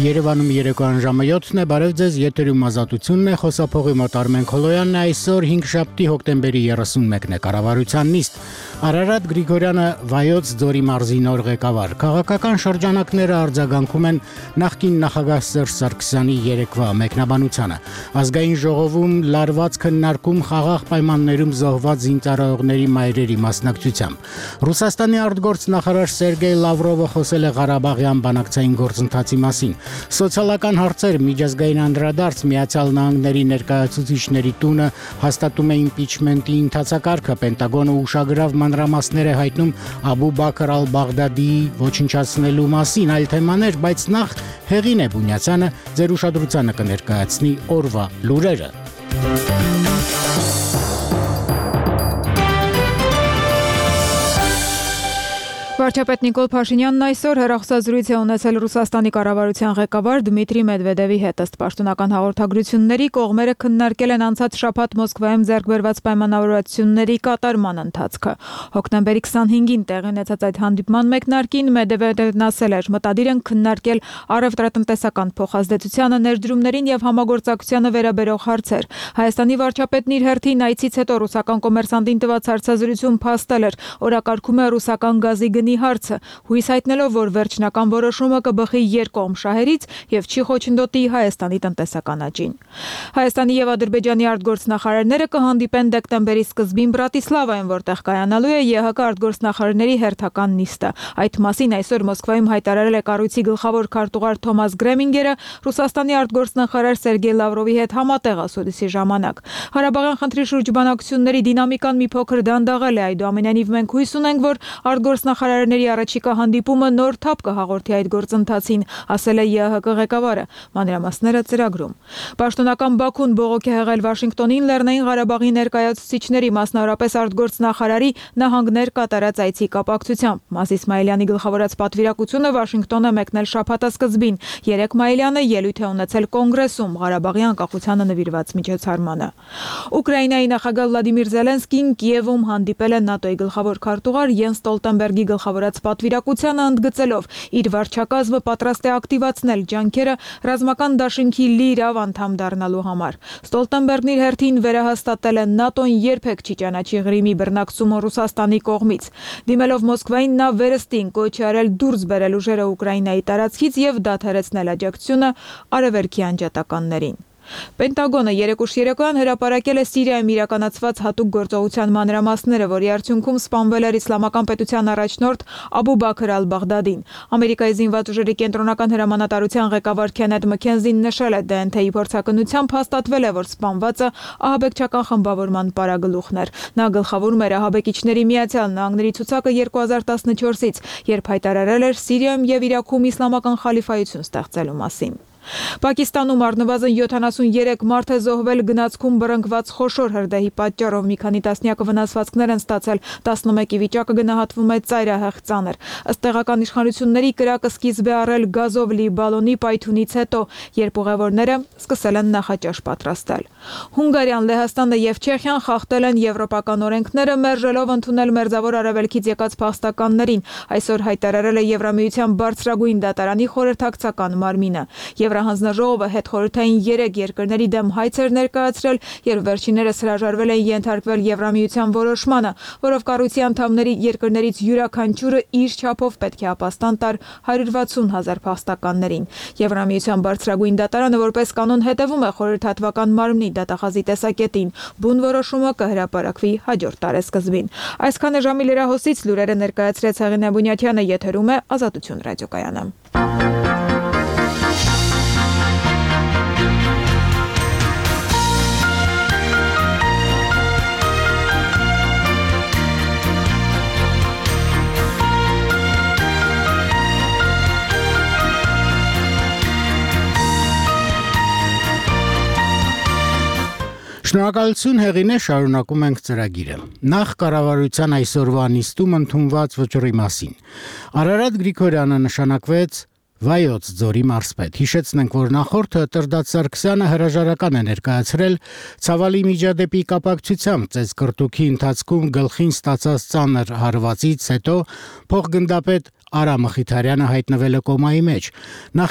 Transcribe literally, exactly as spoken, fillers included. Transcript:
Երևանում երեկոյան ժամը յոթն է, բարև ձեզ, եթերում Ազատությունն է, խոսափողի մոտ Արմեն Քոլոյանն է, այսօր հինգշաբթի հոկտեմբերի երեսունմեկն է, կառավարության նիստ, Արարատ Գրիգորյանը Վայոց ձորի մարզի նոր ղեկավար, քաղաքական շրջանակները արձագանքում են նախկին նախագահ Սերժ Սարգսյանի երեկվա մեկնաբանությանը, ազգային ժողովում լարված քննարկում խաղաղ պայմաններում զոհված զինծառայողների մայրերի մասնակցությամբ, Ռուսաստանի արտգործնախարար Սերգեյ Լավրովը խոսել է Ղարաբաղյան բանակցային գործընթացի մասին, Սոցիալական հարցեր միջազգային անդրադարձ Միացյալ Նահանգների ներկայացուցիչների տունը հաստատում է իմպիչմենտի ընթացակարգը, Պենտագոնը ուշագրավ մանրամասներ է հայտնում Աբու Բաքր ալ-Բաղդադիի ոչնչացնելու մասին, այլ թեմաներ, բայց նախ Հեղին է Բունյացյանը ձեր ուշադրությանը կներկայացնի օրվա լուրերը։ Վարչապետ Նիկոլ Փաշինյանն այսօր հեռախոսազրույց է ունեցել Ռուսաստանի կառավարության ղեկավար Դմիտրի Մեդվեդևի հետ, ըստ պաշտոնական հաղորդագրությունների կողմերը քննարկել են անցած շաբաթ Մոսկվայում ձեռք բերված պայմանավորվածությունների կատարման ընթացքը։ Հոկտեմբերի քսանհինգին տեղի ունեցած այդ հանդիպման մեկնարկին Մեդվեդևն ասել էր, մտադիր են քննարկել առևտրատնտեսական փոխազդեցությանը, ներդրումներին եւ համագործակցությանը վերաբերող հարցեր։ Հայաստանի վարչապետն իր հերթին այցից հետո ռուսական կոմերսանտին տված հարցազրույցում փաստել էր, օրակարգում է ռուսական գազի գնի հարցը, հույս հայտնելով, որ վերջնական որոշումը կբխի երկկողմ շահերից եւ չի խոչընդոտի Հայաստանի տնտեսական աճին։ Հայաստանի եւ Ադրբեջանի արտգործնախարարները կհանդիպեն դեկտեմբերի սկզբին Բրատիսլավայում, որտեղ կայանալու է ԵՀԿ արտգործնախարարների հերթական նիստը։ Այդ մասին այսօր Մոսկվայում հայտարարել է կառույցի գլխավոր քարտուղար Թոմաս Գրեմինգերը Ռուսաստանի արտգործնախարար Սերգեյ Լավրովի հետ համատեղ ասուլիսի ժամանակ։ Ղարաբաղյան խնդրի շուրջ բանակցությունների դինամիկան մի փոքր դանդաղել է, այդուամենայնիվ մենք հույս ունենք, որ արտգործնախարարների առաջիկա հանդիպումը նոր թափ կհաղորդի այդ գործընթացին, ասել է ԵՀԿ ղեկավարը, մանրամասները ծրագրում։ Պաշտոնական Բաքուն բողոք է եղել Վաշինգտոնին Լեռնային Ղարաբաղի ներկայացուցիչների, մասնավորապես արտգործնախարարի նահանգներ կատարած այցի կապակցությամբ։ Մաս Իսմայելյանի գլխավորած պատվիրակությունը Վաշինգտոն է մեկնել շաբաթասկզբին։ Երեկ Մայիլյանը ելույթ է ունեցել կոնգրեսում Ղարաբաղի անկախությանը նվիրված միջոցառմանը։ Ուկրաինայի նախագահ Վլադիմիր Զելենսկին Կիևում հանդիպել է ՆԱՏՕ-ի գլխավոր քարտուղար Յենս Ստոլտենբերգի գլխավորած պատվիրակությանը ընդգծելով իր վարչակազմը պատրաստ է ակտիվացնել ջանքերը ռազմական դաշինքի լիիրավ անդամ դառնալու համար։ Ստոլտենբերգն իր հերթին վերահաստատել է ՆԱՏՕ-ն երբեք չի ճանաչի Ղրիմի բռնակցումը Ռուսաստանի կողմից։ Դիմելով Մոսկվային նա վերստին կոչ է արել դուրս բերել ուժերը Ուկրաինայի տարածքից եւ դադարեցնել աջակցությունը արևելքի անջատականներին։ Պենտագոնը երեկ ուշ երեկոյան հրապարակել է Սիրիայում իրականացված հատուկ գործողության մանրամասները, որի արդյունքում սպանվել էր իսլամական պետության առաջնորդ Աբու Բաքր ալ-Բաղդադին։ Ամերիկայի զինված ուժերի կենտրոնական հրամանատարության ղեկավար Քենեթ Մքենզին նշել է, դե են թեի փորձակնությամբ հաստատվել է, որ սպանվածը ահաբեկչական խմբավորման պարագլուխն էր։ Նա գլխավորում էր ահաբեկիչների Միացյալ Նահանգների ցուցակը երկու հազար տասնչորսից, երբ հայտարարել էր Սիրիայում եւ Իրաքում իսլամական խալիֆայություն ստեղծելու մասին։ Պակիստանում առնվազն յոթանասունյերեք մարդ է զոհվել գնացքում բռնկված խոշոր հրդեհի պատճառով, մի քանի տասնյակը վնասվածքներ են ստացել, տասնմեկի վիճակը գնահատվում է ծայրահեղ ծանր։ Ըստ տեղական իշխանությունների կրակը սկիզբ է առել գազով լի բալոնի պայթյունից հետո, երբ ուղևորները սկսել են նախաճաշ պատրաստել։ Հունգարիան, Լեհաստանը եւ Չեխիան խախտել են եվրոպական օրենքները, մերժելով ընդունել Մերձավոր Արևելքից եկած փախստականներին, այսօր հայտարարել է Եվրամիության բարձրագույն դատարանի խորհրդակցական մարմինը։ Եվրահանձնաժողովը հետխորհրդային երեք երկրների դեմ հայց էր ներկայացրել, երբ վերջիններս հրաժարվել են ենթարկվել Եվրամիության որոշմանը, որով կառույցի անդամների երկրներից յուրաքանչյուրը իր չափով պետք է ապաստան տար հարյուր վաթսուն հազար փախստականներին։ Եվրամիության բարձրագույն դատարանը որպես կանոն հետևում է խորհրդատվական մարմնի դատախազի տեսակետին։ Բուն որոշումը կհրապարակվի հաջորդ տարեսկզբին։ Այսքան է ժամի լրահոսից լուրերը ներկայացրեց Հեղին Բունյացյանը, եթերում է Ազատություն ռադիոկայանը։ Շնորհակալություն Հեղին է, շարունակում ենք ծրագիրը։ Նախ կառավարության այսօրվա նիստում ընդունված վճռի մասին։ Արարատ Գրիգորյանը նշանակվեց Վայոց ձորի մարզպետ։ Հիշեցնենք, որ նախորդը Տրդատ Սարգսյանը հրաժարական է ներկայացրել ցավալի միջադեպի կապակցությամբ ծեծկռտուքի ընթացքում գլխին ստացած ծանր հարվածից հետո փոխգնդապետ Արա Մխիթարյանը հայտնվել է կոմայի մեջ։